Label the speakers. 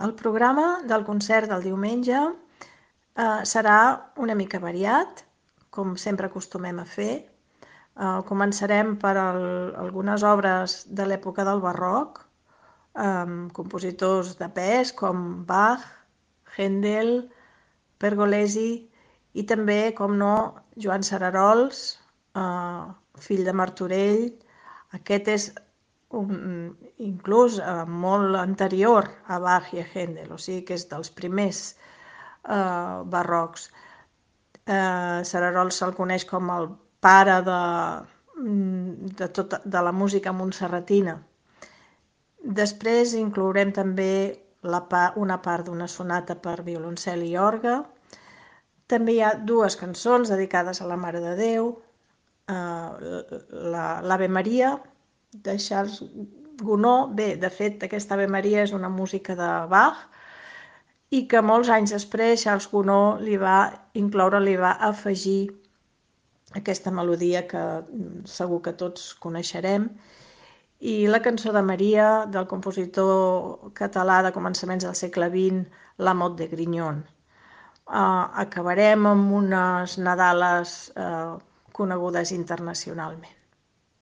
Speaker 1: El programa del concert del diumenge serà una mica variat, com sempre acostumem a fer. Començarem per algunes obres de l'època del barroc, amb compositors de pes com Bach, Händel, Pergolesi i també, com no, Joan Cerarols, fill de Martorell. Aquest és inclús molt anterior a Bach i a Händel, o sigui que és dels primers barrocs. Cerarols se'l coneix com el pare de la música montserratina. Després inclourem també una part d'una sonata per violoncel i orgue. També hi ha dues cançons dedicades a la Mare de Déu, l'Ave Maria de Charles Gounod. Bé, de fet, aquesta Ave Maria és una música de Bach i que molts anys després Charles Gounod li va afegir aquesta melodia que segur que tots coneixerem. I la cançó de Maria, del compositor català de començaments del segle XX, La Mot de Grignon. Acabarem amb unes nadales conegudes internacionalment.